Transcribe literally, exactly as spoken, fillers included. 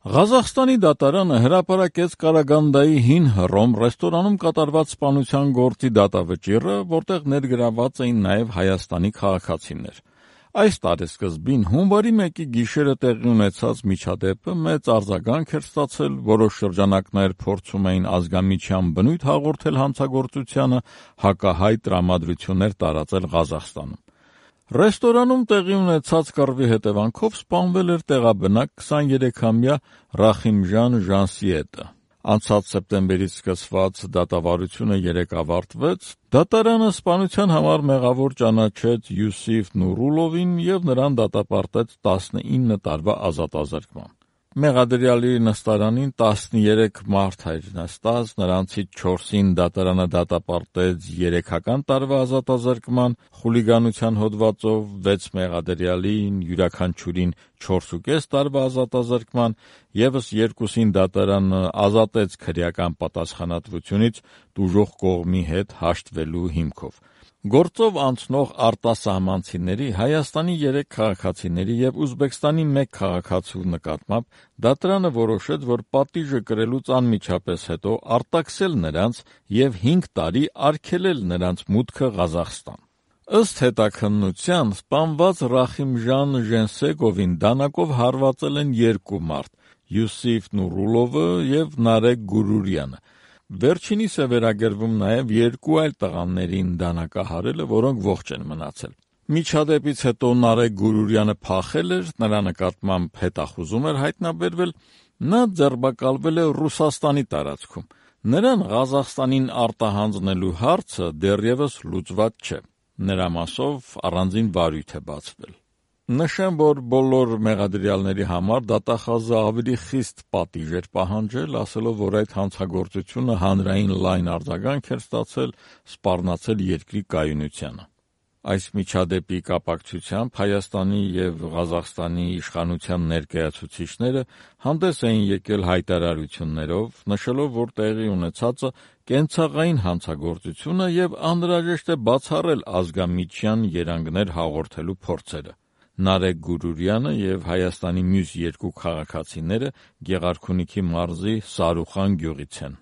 Ղազախստանի դատարանը հրապարակեց Կարագանդայի հին Հռոմ ռեստորանում կատարված սպանության գործի դատավճիռը, որտեղ ներգրավված էին նաև Հայաստանի քաղաքացիներ։ Այս տարեսկզբին հունվարի մեկի գիշերը տեղի ունեցած միջադեպը մեծ արձագանք էր ստացել, որոշ շրջանակներ փորձում էին ազգամիջյան բնույթ հաղորդել հանցագործությանը, հակահայ տրամադրություններ տարածել Ղազախստանում։ Ռեստորանում տեղի ունեցած կռվի հետևանքով սպանվել էր տեղաբնակ քսաներեքամյա Ռախիմժան Ժանսիետը։ Անցած սեպտեմբերից սկսված դատավարությունը երեկ ավարտվեց, դատարանը սպանության համար մեղավոր ճանաչեց Յուսիֆ Նուրուլովին և նրան դատապարտեց տասնինը տարվա ազատազրկման։ Մեղադրյալի նստարանին տասներեք մարդ էր նստած, նրանցից չորսին դատարանը դատապարտեց երեքական տարվա ազատազրկման խուլիգանության հոդվածով, վեց մեղադրյալին յուրաքանչյուրին չորսուկես տարվա ազատազրկման, ևս երկուսին դատարանը ազատեց քրեական պատասխանատվությունից տուժող կողմի հետ հաշտվելու հիմքով։ Գործով անցնող արտասահմանցիների, Հայաստանի երեք քաղաքացիների և Ուզբեկստանի մեկ քաղաքացու նկատմամբ դատարանը որոշեց, որ պատիժը կրելուց անմիջապես հետո արտաքսել նրանց և հինգ տարի արգելել նրանց մուտքը Ղազախստան։ Ըստ հետաքննության, սպանված Ռախիմժան Ժենսեգովին դանակով հարվածել են երկու մարդ՝ Յուսիֆ Նուրուլովը և Նարեկ Գուրուրյանը։ Վերջինիս է վերագրվում նաև երկու այլ տղաներին դանակահարելը, որոնք ողջ են մնացել։ Միջադեպից հետո Նարեկ Գուրուրյանը փախել էր, նրա նկատմամբ հետախուզում էր հայտնաբերվել, նա ձերբակալվել է Ռուսաստանի տարածքում։ Նրան Ղազախստանին արտահանձնելու հարցը դեռևս լուծված չէ։ Նրա մասով առանձին վարույթ է բացվել։ Նշեմ, որ բոլոր մեղադրյալների համար դատախազը ավելի խիստ պատիժ էր պահանջել, ասելով, որ այդ հանցագործությունը հանրային լայն արձագանք էր ստացել, սպառնացել երկրի կայունությանը։ Այս միջադեպի կապակցությամբ Հայաստանի և Ղազախստանի իշխանության ներկայացուցիչները հանդես էին եկել հայտարարություններով, նշելով, որ տեղի ունեցածը կենցաղային հանցագործություն է և անհրաժեշտ է բացառել ազգամիջյան երանգներ հաղորդելու փորձերը։ Նարեկ Գուրուրյանը և Հայաստանի մյուս երկու քաղաքացիները Գեղարքունիքի մարզի Սարուխան գյուղից են։